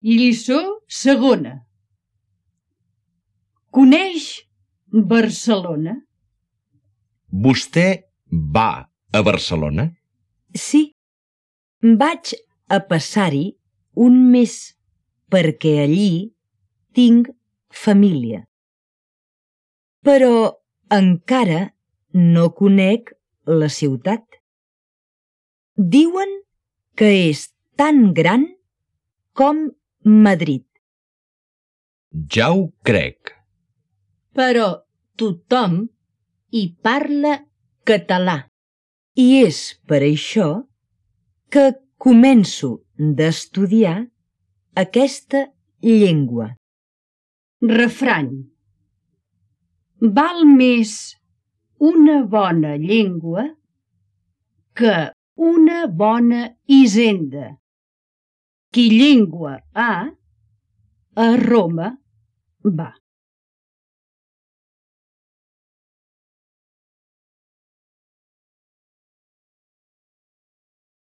Lliçó segona. Coneix Barcelona? Vostè va a Barcelona? Sí, vaig a passar-hi un mes perquè allí tinc família. Però encara no conec la ciutat. Diuen que és tan gran com Madrid. Ja ho crec. Però tothom hi parla català. I és per això que començo d'estudiar aquesta llengua. Refrany. Val més una bona llengua que una bona hisenda. Qui llengua ha, a Roma va.